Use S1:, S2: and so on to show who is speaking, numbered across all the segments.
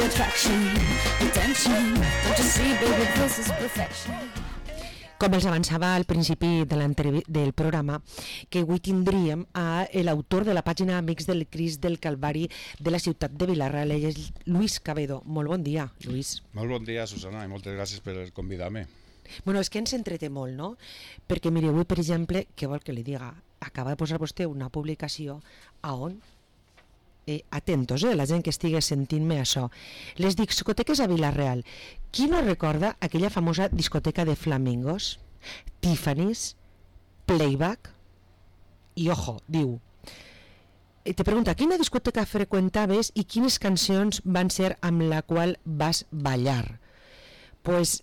S1: the attraction, attention. Don't you see, baby, this is perfection.
S2: Com els avançava al principi del programa, que avui tindríem a l'autor de la pàgina Amics del Crist del Calvari de la ciutat de Vila-real, ell és Lluís Cabedo. Molt bon dia, Lluís.
S3: Molt bon dia, Susana, i moltes gràcies per convidar-me.
S2: Bueno, és que ens entreté molt, no? Perquè, mire, avui, per exemple, què vol que li diga? Acaba de posar vostè una publicació a on... atentos, la gent que estigui sentint-me això. Les discoteques a Vila-real. Qui no recorda aquella famosa discoteca de flamingos? Tiffany's, Playback i, ojo, diu, te pregunta, quina discoteca freqüentaves i quines cancions van ser amb la qual vas ballar? Pues,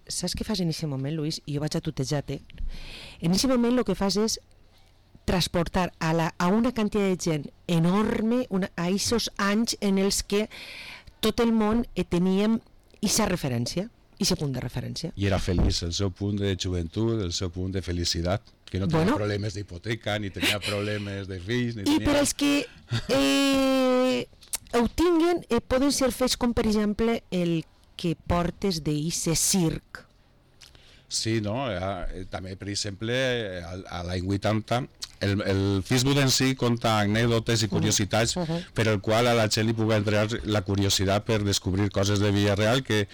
S2: saps què fas en aquest moment, Lluís? I jo vaig a tutejar-te. En aquest moment el que fas és transportar a una quantitat de gent enorme a aquests anys en els que tot el món teníem aquesta referència, aquest punt de referència.
S3: I era feliç, el seu punt de joventut, el seu punt de felicitat, que no tenia problemes d'hipoteca, ni tenia problemes de fills, ni tenia...
S2: I per als que ho tinguen, poden ser fets com, per exemple, el que portes d'eixe circ.
S3: Sí, no? També, per exemple, a l'any 80, el Facebook en si conta anècdotes i curiositats per el qual a la gent li pugui entrar la curiositat per descobrir coses de Vila-real que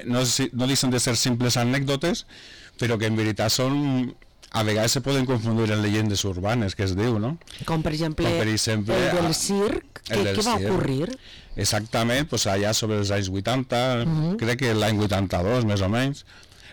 S3: no deixen de ser simples anècdotes, però que en veritat són... A vegades se poden confundir en llegendes urbanes, que es diu, no?
S2: Com per exemple el del circ, què va ocórrer?
S3: Exactament, pues allà sobre els anys 80, crec que l'any 82 més o menys,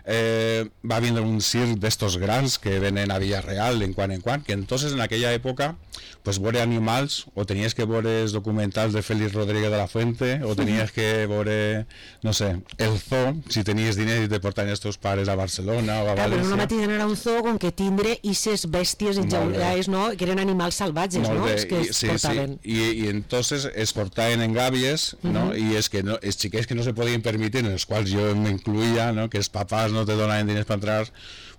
S3: va vindre un circ d'estos grans que venen a Vila-real en quan, que entonces en aquella època pues veure animals, o tenies que veure els documentals de Félix Rodríguez de la Fuente, o tenies que veure, no sé, el zoo, si tenies diners i te portaven els teus pares a Barcelona o a València.
S2: Però no mateix anar a un zoo com que tindre aquestes bèsties enjaulades, no? Que eren animals salvatges, no? Els que es portaven.
S3: I entonces es portaven en gàbies, no? I és que els xiquets que no se podien permetre, en els quals jo m'incluïa, no? Que els papàs no te donaven diners per entrar,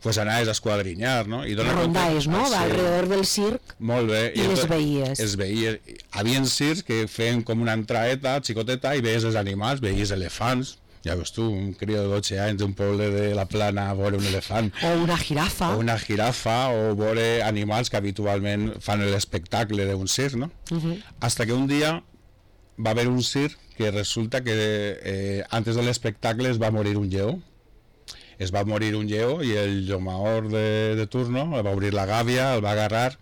S3: pues anaves a esquadrinyar, no? I
S2: rondaves, no? Va alrededor del circ.
S3: Molt bé.
S2: I les veies.
S3: Es veies. Havia circs que feien com una entraeta xicoteta i veies els animals, veies elefants. Ja veus tu, un crio de 12 anys d'un poble de la Plana a veure un elefant.
S2: O una jirafa.
S3: O veure animals que habitualment fan l'espectacle d'un circ, no? Hasta que un dia va haver un circ que resulta que antes de l'espectacle es va morir un lleó. Es va morir un lleó i el llomaor de turno va obrir la gàbia, el va agarrar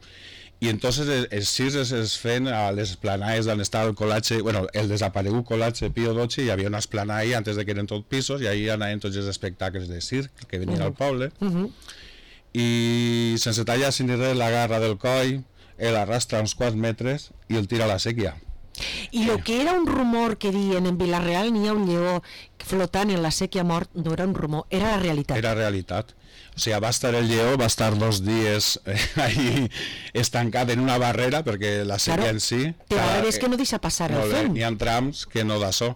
S3: i entonces els circs es feien a les esplanades on estava el col·latge, bueno, el desaparegut col·latge Pío XII, hi havia una esplanada ahí antes de que eren tot pisos i ahí anaven tots els espectacles de circ que venien al poble i sense tallar sin res l'agarra del coll, l'arrastra uns 4 metres i el tira a la sèquia.
S2: I el que era un rumor que diuen en Vila-real n'hi ha un lleó flotant en la sèquia mort, no era un rumor, era la realitat.
S3: Era realitat. O sigui, va estar el lleó, va estar 2 dies ahí estancat en una barrera, perquè la sèquia en si...
S2: Però a veure, és que no deixa passar el fem.
S3: N'hi ha trams que no d'això.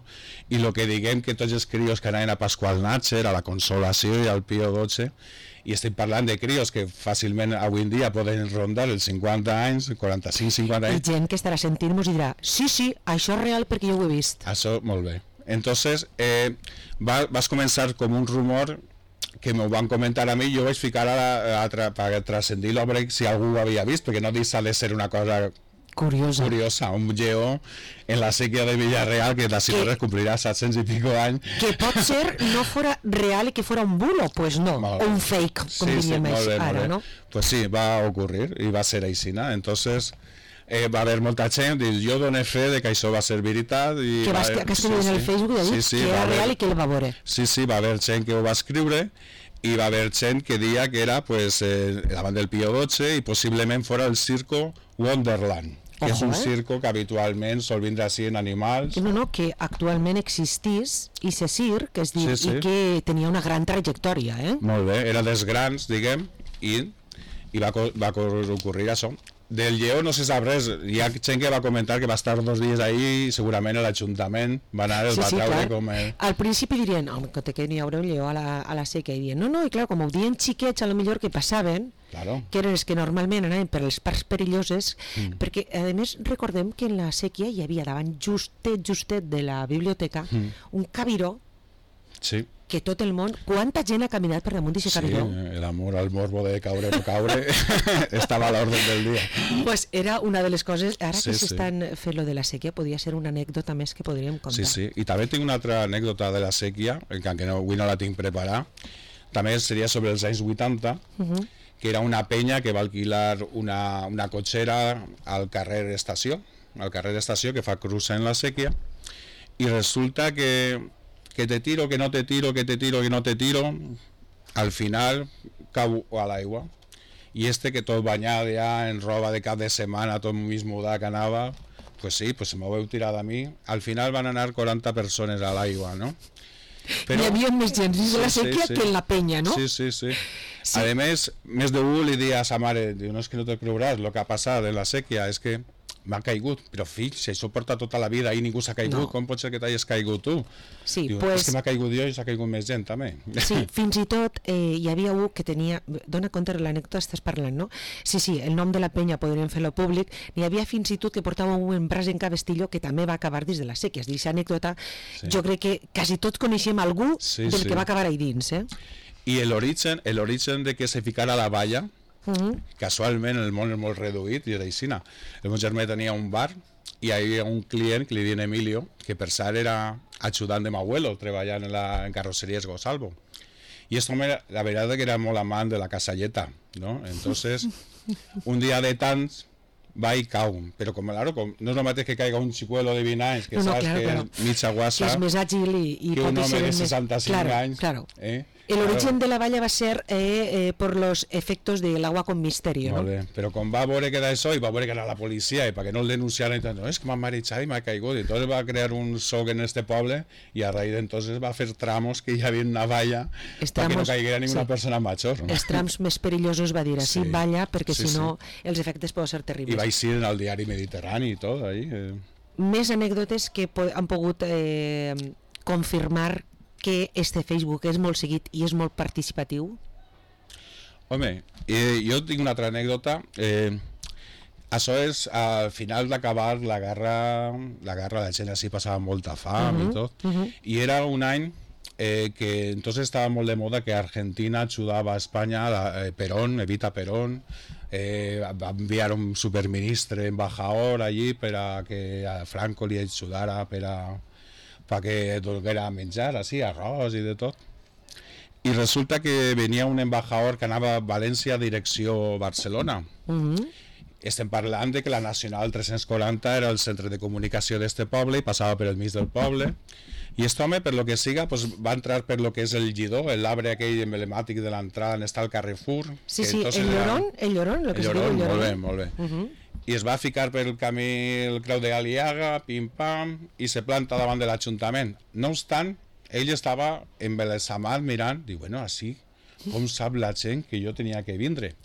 S3: I el que diguem que tots els crios que anaven a Pasqual Natcher, a la Consolació i al Pío XII, i estem parlant de crios que fàcilment avui en dia poden rondar els 50 anys, 45-50 anys.
S2: I gent que estarà sentint-nos i dirà, sí, això és real perquè jo ho he vist.
S3: Això, molt bé. Entonces, vas començar com un rumor que m'ho van comentar a mi, jo vaig ficar per transcendir l'obra si algú ho havia vist, perquè no deixa de ser una cosa curiosa, un lleó en la sèquia de Vila-real que d'ací no complirà 700 i pico anys.
S2: Que pot ser no fora real i que fora un bulo, pues no, un fake, com diríem ara, no?
S3: Pues sí, va ocurrir i va ser aixina, entonces... va haver molta gent, jo doné fe de que això va ser veritat i
S2: que escriure en el Facebook i dir que era real i que el va veure.
S3: Sí, va haver gent que ho va escriure i va haver gent que dia que era pues, davant del Pío XII i possiblement fora el circo Wonderland, que és un circo que habitualment sol vindre així en animals.
S2: No, que actualment existís i se circ, és dir, i que tenia una gran trajectòria,
S3: Molt bé, era dels grans, diguem, i va ocórrer això. Del lleó no se sap res. Hi ha gent que va comentar que va estar 2 dies ahí i segurament l'Ajuntament va anar, el va treure
S2: clar.
S3: com...
S2: Al principi dirien, home, que n'hi haurà un lleó a la sèquia, i dirien, no, i clar, com ho dien xiquets, a lo millor que passaven,
S3: Claro.
S2: que eren els que normalment anaven per les parts perilloses, perquè, a més, recordem que en la sèquia hi havia davant justet de la biblioteca un cabiró
S3: Sí.
S2: que tot el món, quanta gent ha caminat per damunt d'aquest
S3: Sí,
S2: cabiró?
S3: l'amor al morbo de caure o no caure estava a l'ordre del dia.
S2: Pues era una de les coses, ara
S3: Sí,
S2: que
S3: sí.
S2: s'estan fent lo de la sèquia, podria ser una anècdota més que podríem contar.
S3: Sí, sí. I també tinc una altra anècdota de la sèquia, que no, avui no la tinc preparada. També seria sobre els anys 80, que era una penya que va alquilar una cotxera al carrer Estació, que fa cruça en la sèquia, i resulta que te tiro, que no te tiro, que te tiro, que no te tiro, al final cau a l'aigua. I que tot banyat ja en roba de cap de setmana, tot mig mudat que anava, pues sí, pues se m'ho veu tirar a mi. Al final van anar 40 persones a l'aigua, no?
S2: Però, hi havia més gent dins de la sèquia que en la penya, no?
S3: Sí. A més d'un li dia a sa mare, diu, no és que no te creuràs el que ha passat en la sèquia, és que m'ha caigut, però fill, si això porta tota la vida i ningú s'ha caigut, com pot ser que t'hagis caigut tu?
S2: Sí,
S3: diu,
S2: pues,
S3: és que m'ha caigut jo i s'ha caigut més gent també.
S2: Sí, fins i tot hi havia un que tenia, dona compte de l'anècdota estàs parlant, no? Sí, el nom de la penya podríem fer-lo públic, n'hi havia fins i tot que portava un braç en cabestillo que també va acabar dins de la sèquia. D'aquesta anècdota jo crec que quasi tots coneixem algú del que va acabar ahí dins,
S3: I l'origen de que se ficara a la valla, casualment el món és molt reduït i era aixina. El meu germà tenia un bar i hi havia un client que li diuen Emilio, que per cert era ajudant de m'abuelo, treballant en carrosseries Gosalvo. Y esto la verdad es que era molt amant de la casalleta, ¿no? Entonces, un dia de tants va i cau, però claro, no és el mateix que caiga un xicuelo de 20 anys, que saps que és mitja guassa,
S2: que és més àgil i
S3: que un
S2: pot ser
S3: home de
S2: més...
S3: 65 anys.
S2: Claro. El origen de la valla va ser por los efectos del agua con misterio, ¿no?
S3: Molt bé, però quan va veure que era això i va veure que era la policia i perquè no el denunciaran, no, és que m'ha marejat i m'ha caigut, i entonces va crear un soc en este poble i a raíz d'entonces va fer tramos que hi havia una valla perquè no caiguera ninguna persona major, no?
S2: Els trams més perillosos va dir així, valla, perquè si no els efectes poden ser terribles.
S3: I va eixir en el diari Mediterrani i tot ahí.
S2: Més anècdotes que han pogut confirmar que Facebook és molt seguit i és molt participatiu?
S3: Home, jo tinc una altra anècdota. Això és al final d'acabar la guerra, la gent així passava molta fam i tot, i era un any que entonces estava molt de moda que Argentina ajudava a Espanya, Perón, Evita Perón, va enviar un superministre embajador allí per a que a Franco li ajudara perquè donara menjar, així, arròs i de tot. I resulta que venia un embajador que anava a València direcció Barcelona. Estem parlant de que la Nacional 340 era el centre de comunicació d'este poble i passava per el mig del poble. I aquest home, per lo que siga, pues, va entrar per lo que és el Lledó, l'arbre aquell emblemàtic de l'entrada on està el Carrefour.
S2: Sí, el Llorón, el Llorón.
S3: Molt bé. I es va ficar pel camí el Creu de Galiaga, pim-pam, i se planta davant de l'Ajuntament. No obstant, ell estava embelesamat mirant, diu, bueno, així, com sap la gent que jo tenia que vindre?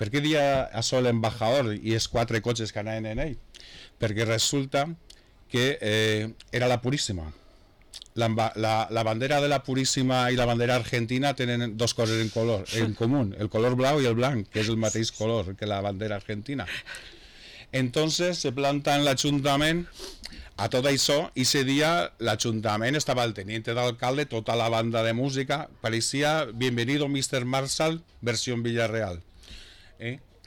S3: Per què dia això l'embajador i els 4 cotxes que anaven en ell? Perquè resulta que era la Puríssima. La bandera de la Puríssima i la bandera argentina tenen 2 coses en comú, el color blau i el blanc, que és el mateix color que la bandera argentina. Entonces se planta en l'Ajuntament a tot això, i ese dia l'Ajuntament estava el teniente d'alcalde, tota la banda de música, parecía Bienvenido Mr. Marshall, versión Villarreal.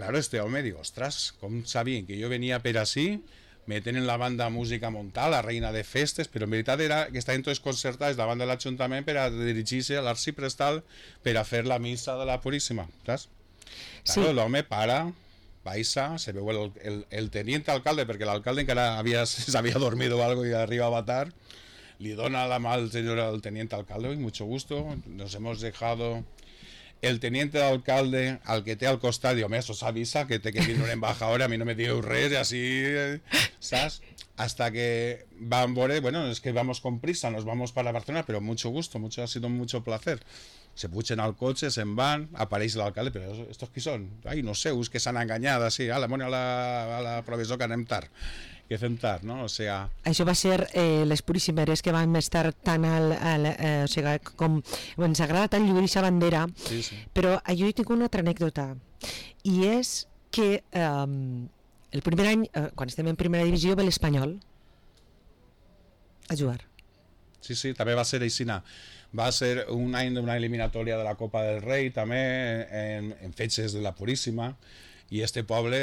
S3: Claro, este home diu, ostras, com sabien que jo venia per així, me tenen la banda de música montada, la reina de festes, però en veritat era que estaven tots concertats davant de l'Ajuntament per a dirigir-se a l'arxiprestal per a fer la missa de la Puríssima, saps? Claro, l'home para, baixa, se veu el teniente alcalde, perquè l'alcalde encara s'havia dormit o algo i arribava tard, li dona la mà al teniente alcalde, mucho gusto, nos hemos dejado el teniente d'alcalde, al que té al costat, diu, home, os avisa que té que vindre un embajador, a mi no me diu res, i així, saps? Hasta que van veure, bueno, es que vamos con prisa, nos vamos para Barcelona, pero mucho gusto, ha sido mucho placer. Se pugen al cotxe, se'n van, apareix l'alcalde, però estos qui són? Ai, no sé, us que s'han enganyat, així, a la professor que anem tard, que fem tard, no? O sigui...
S2: Això va ser les puríssimes que vam estar tan o sigui, com ens agrada tant lluir aquesta bandera,
S3: Sí, sí.
S2: però jo hi tinc una altra anècdota, i és que el primer any, quan estem en primera divisió, ve l'Espanyol a jugar.
S3: Sí, sí, també va ser aixina. Va ser un any d'una eliminatòria de la Copa del Rei, també, en fetges de la Puríssima, i este poble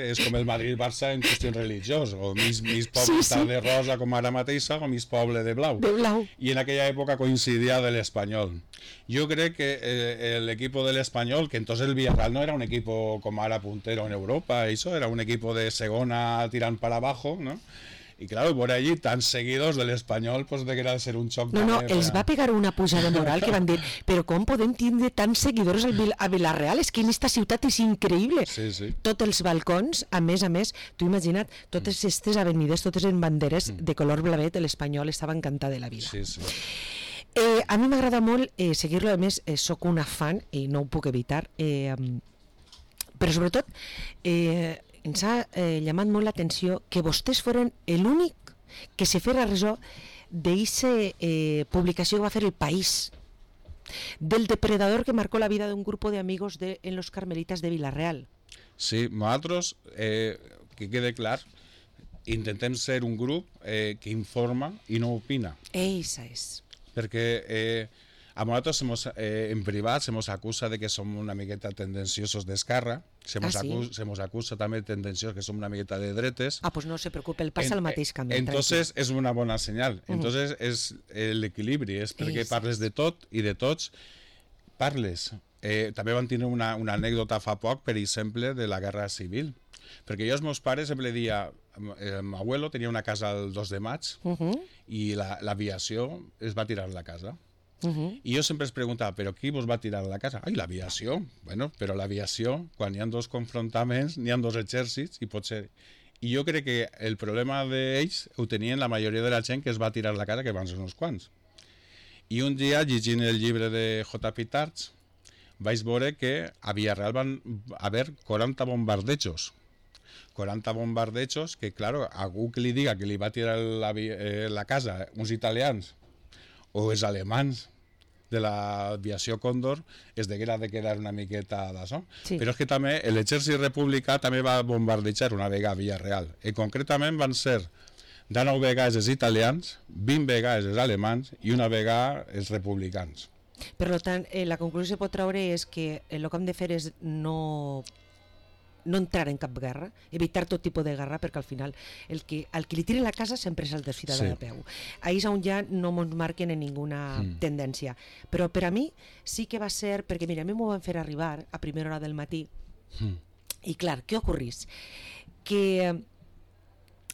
S3: és com el Madrid-Barça en qüestions religiós, o mis poble està de rosa com ara mateixa, o mis poble de blau.
S2: De blau.
S3: Y en aquella época coincidía del Español. Yo creo que el equipo del Español, que entonces el Villarreal no era un equipo como ahora puntero en Europa, eso era un equipo de segona tirant para abajo, ¿no? Y claro, por allí tan seguidos del Espanyol, pues de que era de ser un xoc.
S2: No, els va pegar una pujada moral que van dir, però com podem tindre tants seguidors a Vila-real? És que en esta ciutat és increïble.
S3: Sí, sí.
S2: Tots els balcons, a més, tu imagina't, totes aquestes avenides, totes en banderes de color blavet, l'Espanyol estava encantat de la vida.
S3: Sí, sí.
S2: A mi m'agrada molt seguir-lo, a més, sóc una fan i no ho puc evitar, però sobretot ens ha llamat molt l'atenció que vostès foren l'únic que se fera ressò d'eixa publicació que va fer El País, del depredador que marcó la vida d'un grup d'amigos en los Carmelitas de Vila-real.
S3: Sí, nosaltres, que quede clar, intentem ser un grup que informa i no opina.
S2: Eixa és.
S3: Perquè a nosaltres en privat se nos acusa de que som una miqueta tendenciosos d'esquerra, se nos acusa també tendenciosos que som una miqueta de dretes.
S2: Pues no se preocupe, el passa el mateix camí.
S3: Entonces és una bona senyal. Entonces és l'equilibri, és perquè parles de tot i de tots parles. També van tenir una anècdota fa poc, per exemple, de la Guerra Civil. Perquè jo als meus pares sempre deia, el meu abuelo tenia una casa el 2 de maig i l'aviació es va tirar a la casa. I jo sempre es preguntava, però qui vos va tirar a la casa? Ai, l'aviació. Bueno, però l'aviació, quan hi ha dos confrontaments, n'hi ha dos exèrcits i pot ser... I jo crec que el problema d'ells ho tenien la majoria de la gent que es va tirar a la casa, que van ser uns quants. I un dia, llegint el llibre de J.P. Tarts, vaig veure que a Villarreal van haver 40 bombardejos. 40 bombardejos que, claro, algú que li diga que li va tirar la casa uns italians o els alemans de l'aviació Còndor es deguera de quedar una miqueta d'això. Sí. Però és que també l'exèrcit republicà també va bombardejar una vegada a Villarreal. I concretament van ser 19 vegades els italians, 20 vegades els alemans i una vegada els republicans.
S2: Per tant, la conclusió que pot treure és que el que hem de fer és no entrar en cap guerra, evitar tot tipus de guerra, perquè al final al que li tire la casa sempre és el desfidat de peu. Ahí és on ja no ens marquen en ninguna tendència. Però per a mi sí que va ser, perquè mira, a mi m'ho van fer arribar a primera hora del matí i clar, què ocorrís? Que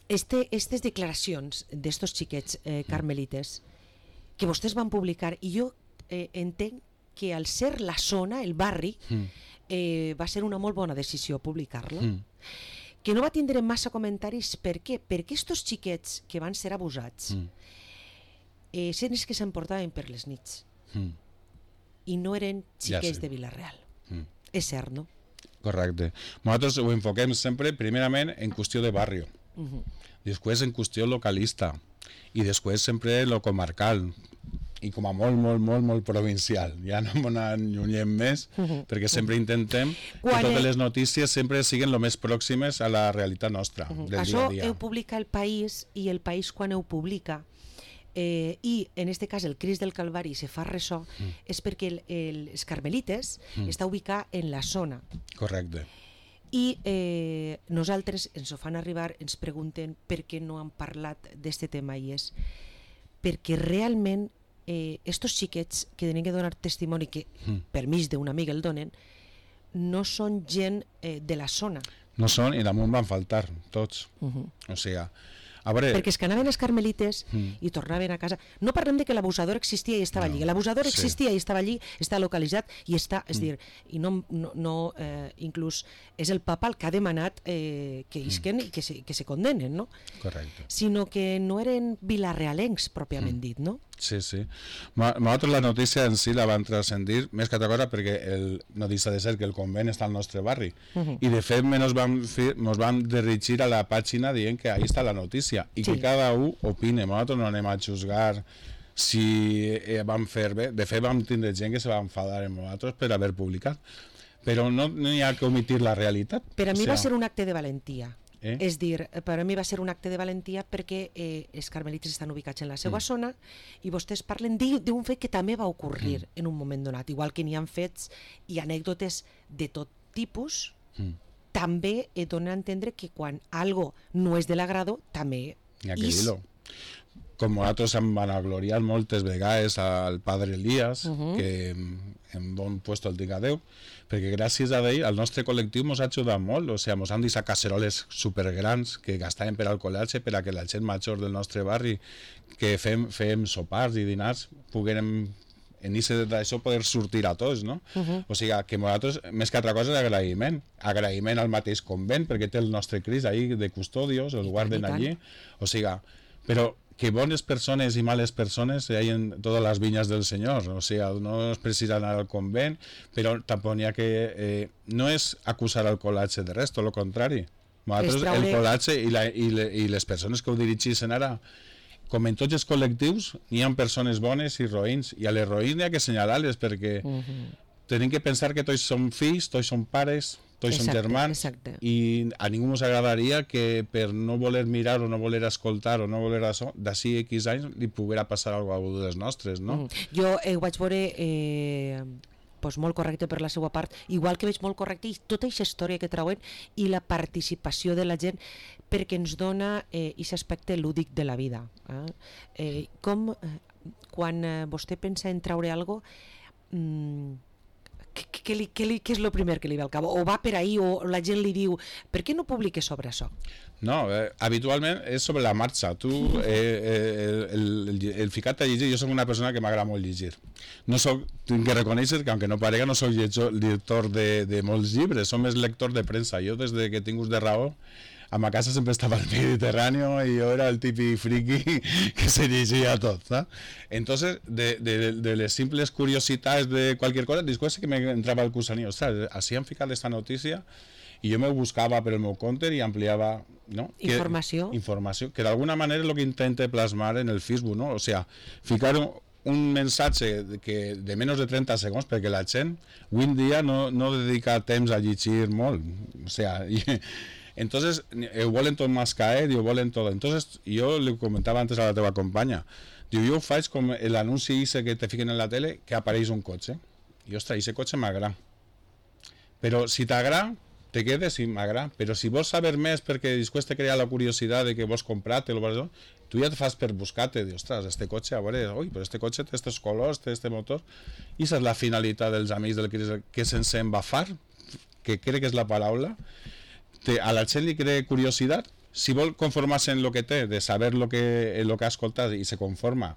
S2: aquestes declaracions d'estos xiquets carmelites que vostès van publicar, i jo entenc que al ser la zona, el barri, va ser una molt bona decisió publicar-la, que no va tindre massa comentaris. Per què? Perquè estos xiquets que van ser abusats eren els que s'emportaven per les nits i no eren xiquets de Vila-real. És cert, no?
S3: Correcte. Nosaltres ho enfoquem sempre primerament en qüestió de barri, després en qüestió localista i després sempre en lo comarcal i com a molt provincial. Ja no m'ho allunyem més, perquè sempre intentem que totes les notícies sempre siguin el més pròximes a la realitat nostra, del dia a dia.
S2: Això ho publica El País, i El País quan ho publica, i en aquest cas el Crist del Calvari se fa ressò, és perquè els Carmelites està ubicat en la zona.
S3: Correcte.
S2: I nosaltres ens ho fan arribar, ens pregunten per què no han parlat d'aquest tema, i és perquè realment estos xiquets que tenen que donar testimoni, que per mig d'una amiga el donen, no són gent de la zona.
S3: No són, i damunt van faltar tots. O sigui, A veure,
S2: perquè és que anaven els carmelites i tornaven a casa. No parlem de que l'abusador existia i estava allí. L'abusador existia i estava allí, està localitzat i està, és dir, i inclús és el papa el que ha demanat que isquen i que se condenen, no?
S3: Correcte.
S2: Sinó que no eren vilarealencs, pròpiament dit, no?
S3: Sí, sí. Nosaltres la notícia en si la van transcendir més que altra cosa perquè no deixa de ser que el convent està al nostre barri i de fet nos vam dirigir a la pàgina dient que ahí està la notícia i que cada un opine. Nosaltres no anem a juzgar si vam fer bé. De fet vam tindre gent que se va enfadar amb nosaltres per haver publicat, però no hi ha que omitir la realitat.
S2: Per a mi va ser un acte de valentia. És dir, per a mi va ser un acte de valentia perquè els carmelites estan ubicats en la seva zona i vostès parlen d'un fet que també va ocorrir en un moment donat, igual que n'hi ha fets i anècdotes de tot tipus, també dona a entendre que quan algo no és de l'agrado, també és.
S3: Com nosaltres hem vanagloriat moltes vegades al padre Elías, que en bon puesto el diga Déu, perquè gràcies a ell el nostre col·lectiu ens ha ajudat molt, o sigui, ens han deixat casseroles supergrans que gastaven per al col·latge per a que la gent major del nostre barri que fem sopars i dinars poguérem en això poder sortir a tots, no? O sigui, que nosaltres, més que altra cosa, és agraïment al mateix convent, perquè té el nostre Crist ahí de custodios, el guarden allí, o sigui, però que bones persones i males persones hi ha en totes les vinyes del Senyor, o sigui, no es precisa anar al convent, però tampoc n'hi ha que... no és acusar el col·latge de res, tot el contrari. Nosaltres, el col·latge i les persones que ho dirigeixen ara, com en tots els col·lectius, n'hi ha persones bones i roïns, i a les roïns n'hi ha que assenyalar-les, perquè tenim que pensar que tots som fills, tots som pares, tots som germans, i a ningú ens agradaria que per no voler mirar o no voler escoltar o no voler això, d'ací X anys li poguera passar alguna cosa dels nostres, no?
S2: Jo ho vaig veure molt correcte per la seva part, igual que veig molt correcte tota aquesta història que trauen i la participació de la gent perquè ens dona aquest aspecte lúdic de la vida. Com quan vostè pensa en traure alguna cosa, què és el primer que li ve al cap? O va per ahí, o la gent li diu per què no publiques sobre això?
S3: No, habitualment és sobre la marxa. Tu, el ficat a llegir, jo soc una persona que m'agrada molt llegir. No soc, tinc que reconèixer que, aunque no parega, no soc lector de molts llibres, som més lector de premsa. Jo, des que tinc ús de raó, a ma casa sempre estava el Mediterráneo i jo era el típic friki que se llegia tot, ¿sabes? Entonces, de les simples curiositats de cualquier cosa, después que me entrava el gusanillo, ostras, así han ficat esta notícia i jo me buscava per el meu compte i ampliava, ¿no?
S2: Informació.
S3: Informació, que d'alguna manera és el que intente plasmar en el Facebook, ¿no? O sea, ficar un mensatge de menys de 30 segons, perquè la gent avui en dia no dedica temps a llegir molt, o sea, entonces ho volen tot más caer i ho volen tot. Entonces jo li comentava antes a la teva companya, diu, jo ho faig com l'anunci que te fiquen en la tele que apareix un cotxe i ostres, aquest cotxe m'agrada, però si t'agrada te quedes i m'agrada, però si vols saber més perquè després te crea la curiositat de que vols comprar-te, tu ja te fas per buscar-te, dius, ostres, este cotxe, a veure, oi, però este cotxe té estos colors, té este motor, i aquesta és la finalitat dels amics del Crist, que sense embafar, que crec que és la paraula, a la gent li crea curiositat, si vol conformar-se en el que té, de saber el que ha escoltat i se conforma,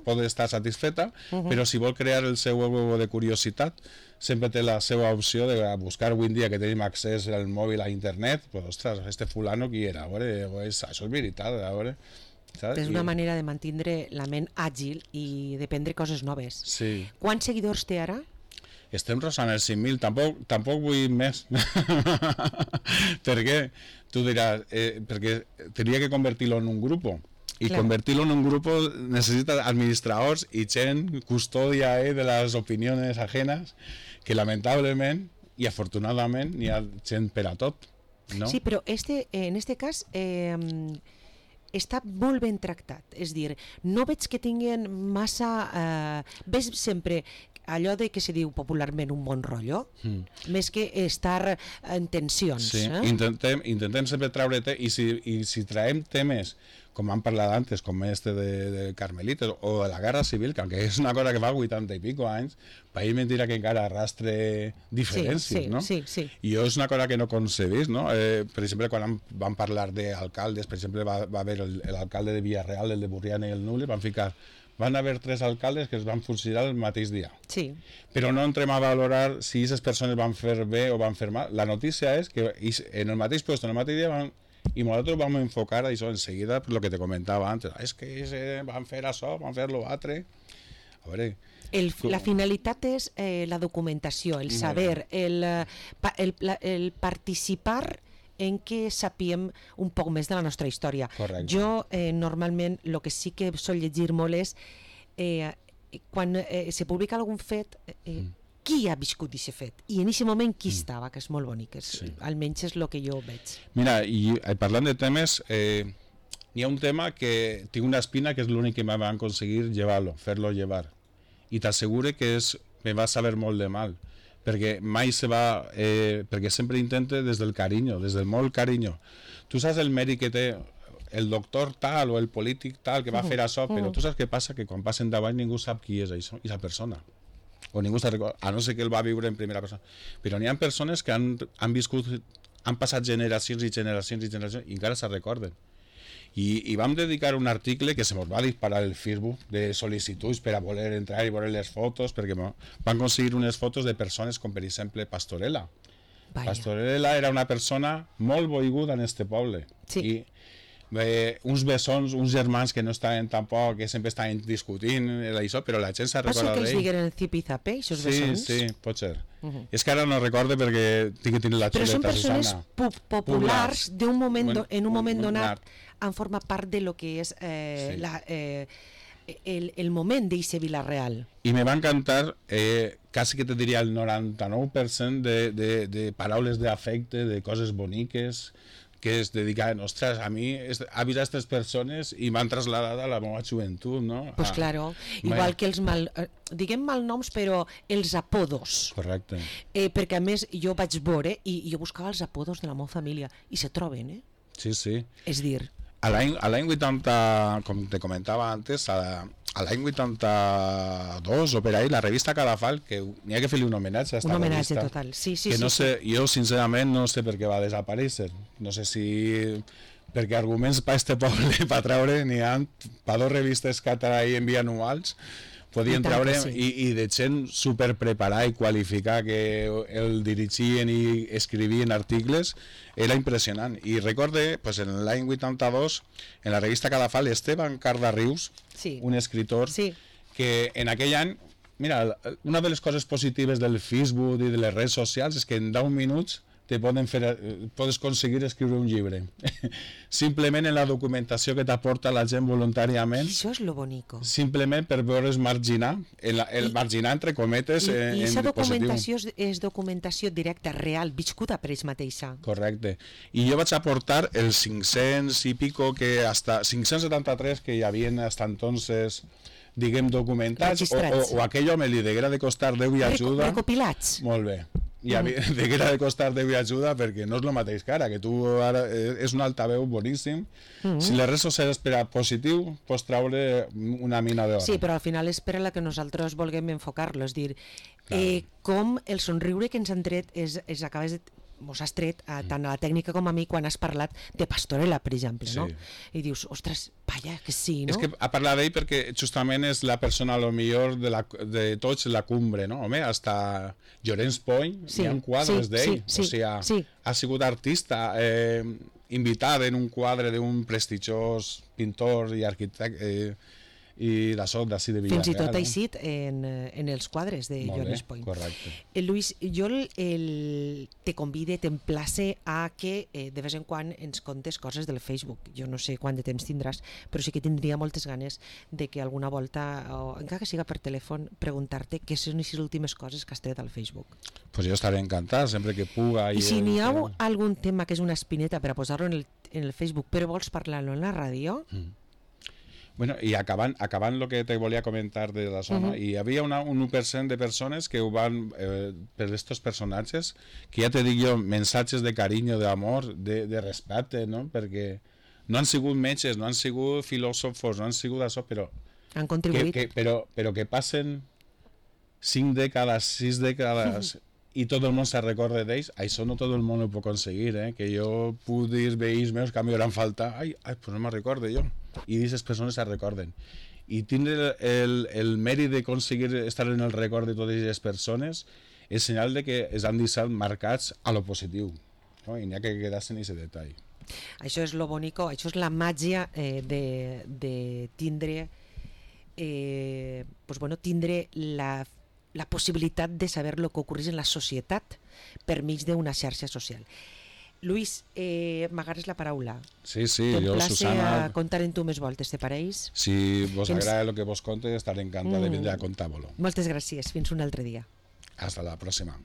S3: pot estar satisfeta, però si vol crear el seu huevo de curiositat, sempre té la seva opció de buscar avui en dia que tenim accés al mòbil a internet, pues, ostres, este fulano qui era, a veure, això és veritat, a veure...
S2: És una manera de mantenir la ment àgil i d'aprendre coses noves.
S3: Sí.
S2: Quants seguidors té ara?
S3: Estem rosant els 5.000, tampoc vull més. Per què? Tu diràs, perquè tenia que convertir-lo en un grup. I convertir-lo en un grup necessita administradors i gent custòdia de les opinions ajenes, que lamentablement i afortunadament hi ha gent per a tot. No?
S2: Sí, però en este cas està molt ben tractat. És dir, no veig que tinguin massa... Ves sempre allò de que se diu popularment un bon rotllo, més que estar en tensions.
S3: Sí, intentem sempre treure i si traiem temes com hem parlat antes, com este de Carmelites o de la Guerra Civil, que aunque és una cosa que fa 80 i pico anys, país mentira que encara arrastre diferències, no?
S2: Sí.
S3: I jo és una cosa que no concebís, no? Per exemple, quan vam parlar d'alcaldes, per exemple, va haver l'alcalde de Villarreal, el de Burriana i el Nules, van haver 3 alcaldes que es van fusilar el mateix dia.
S2: Sí.
S3: Però no entrem a valorar si aquestes persones van fer bé o van fer mal. La notícia és que en el mateix lloc, en el mateix dia, i nosaltres vam enfocar això enseguida per lo que te comentava antes. És que van fer això, van fer l'altre. A veure...
S2: La finalitat és la documentació, el saber, el participar en què sapiem un poc més de la nostra història.
S3: Correcte.
S2: Jo, normalment, el que sí que sol llegir molt és quan se publica algun fet, qui ha viscut aquest fet i en aquest moment qui estava, que és molt bonic, almenys és el que jo veig.
S3: Mira, i parlant de temes, hi ha un tema que tinc una espina que és l'únic que me van aconseguir fer-lo llevar, i t'assegure que me va saber molt de mal, perquè mai se va, perquè sempre intente des del carinyo, des del molt carinyo. Tu saps el mèrit que té el doctor tal o el polític tal que va fer això, però tu saps què passa? Que quan passen davant ningú sap qui és això, aquesta persona. O ningú se'n recorda, a no ser que el va viure en primera persona. Però n'hi ha persones que han viscut, han passat generacions i generacions i generacions i encara se'n recorden. I vam dedicar un article que se mos va disparar el Facebook de sol·licituds per a voler entrar i veure les fotos, perquè van aconseguir unes fotos de persones com per exemple Pastorela.
S2: Vaya.
S3: Pastorela era una persona molt boiguda en este poble.
S2: Sí.
S3: I uns bessons, uns germans que no estaven tampoc, que sempre estaven discutint això, però la gent s'ha recordat d'ell.
S2: Pot ser que els digueren Zip i Zape, aquests bessons?
S3: Sí, pot ser. És que ara no recorde perquè tinc que tenir la
S2: però
S3: xuleta,
S2: són
S3: Susana.
S2: persones populars en un moment donat han format part de lo que és el moment d'eixe Vila-real.
S3: I me va encantar, quasi que te diria el 99% de paraules d'afecte, de coses boniques, que es dedicaven, ostres, a mi ha vist aquestes persones i m'han traslladat a la meva joventut, no?
S2: Pues claro, igual que els diguem malnoms, però els apodos.
S3: Correcte.
S2: Perquè a més jo vaig veure i jo buscava els apodos de la meva família i se troben,
S3: Sí.
S2: És dir...
S3: A l'any 80, com te comentava antes, a l'any 82 o per ahí, la revista Cadafal, que n'hi ha que fer-li un homenatge a esta
S2: un homenatge
S3: revista,
S2: total, sí.
S3: que no sé, jo sincerament no sé per què va desaparèixer, no sé si perquè arguments per este poble per treure n'hi ha per 2 revistes que en bianuals podien treure i de gent superpreparada i qualificada que el dirigien i escrivien articles, era impressionant. I recorde, pues, en l'any 82, en la revista Cadafal, Esteban Cardarrius, un escritor, que en aquell any, mira, una de les coses positives del Facebook i de les redes socials és que en 10 minuts podes aconseguir escriure un llibre. Simplement en la documentació que t'aporta la gent voluntàriament.
S2: Això és lo bonico.
S3: Simplement per veure's marginar, marginar entre cometes.
S2: I aquesta documentació és documentació directa, real, viscuda per ells mateixa.
S3: Correcte. I jo vaig aportar els 500 i pico, que hasta 573 que hi havia hasta entonces, diguem, documentats, o aquell home li deguera de costar 10 i ajuda.
S2: Recopilats.
S3: Molt bé. I deguera de costar 10 i ajuda perquè no és el mateix que ara, que tu ara és un altaveu boníssim. Si les redes socials per a positiu, pots treure una mina d'or.
S2: Sí, però al final és per a la que nosaltres vulguem enfocar-lo, és dir, com el somriure que ens han tret mos has tret tant a la tècnica com a mi quan has parlat de Pastorela, per exemple, no? I dius, ostres, vaya, que sí, no?
S3: És que ha parlat d'ell perquè justament és la persona, a lo millor, de tots, la cumbre, no? Home, hasta Llorenç Pony, hi ha quadres d'ell, o sigui, ha sigut artista, invitat en un quadre d'un prestigiós pintor i arquitecte, i d'això d'ací de Villarreal.
S2: Fins i tot eixit en els quadres de Llorenç Pony.
S3: Correcte.
S2: Lluís, jo te convide, t'emplace a que de vez en quan ens contes coses del Facebook. Jo no sé quant de temps tindràs, però sí que tindria moltes ganes de que alguna volta, o encara que siga per telèfon, preguntar-te què són les últimes coses que has tret al Facebook.
S3: Pues jo estaré encantat, sempre que puga.
S2: I si n'hi ha algun tema que és una espineta per a posar-lo en el Facebook, però vols parlar-lo en la ràdio...
S3: Bueno, i acabant el que te volia comentar de la zona, hi havia un 1% de persones que ho van, per estos personatges, que ja te dic jo, mensatges de carinyo, d'amor, de respecte, no? Perquè no han sigut metges, no han sigut filòsofos, no han sigut això, però
S2: Han contribuït.
S3: però que passen 5 dècades, 6 dècades i tot el món se recorda d'ells, això no tot el món ho pot aconseguir, que jo puc dir veïns meus que a mi hauran faltat, pues no me'n recordo jo, i aquestes persones se recorden. I tindre el mèrit d'aconseguir estar en el record de totes aquestes persones és senyal de que es han deixat marcats a lo positiu, no? I n'hi ha que quedar-se en aquest detall.
S2: Això és lo bonico, això és la màgia de tindre pues bueno, tindre la possibilitat de saber el que ocorreix en la societat per mig d'una xarxa social. Luis, m'agarres la paraula.
S3: Sí, jo, Susana...
S2: a contar en tu més voltes, te pareix?
S3: Si vos agrada el que vos conte, estaré encantat de vindre a contar-vos-lo.
S2: Moltes gràcies, fins un altre dia.
S3: Hasta la pròxima.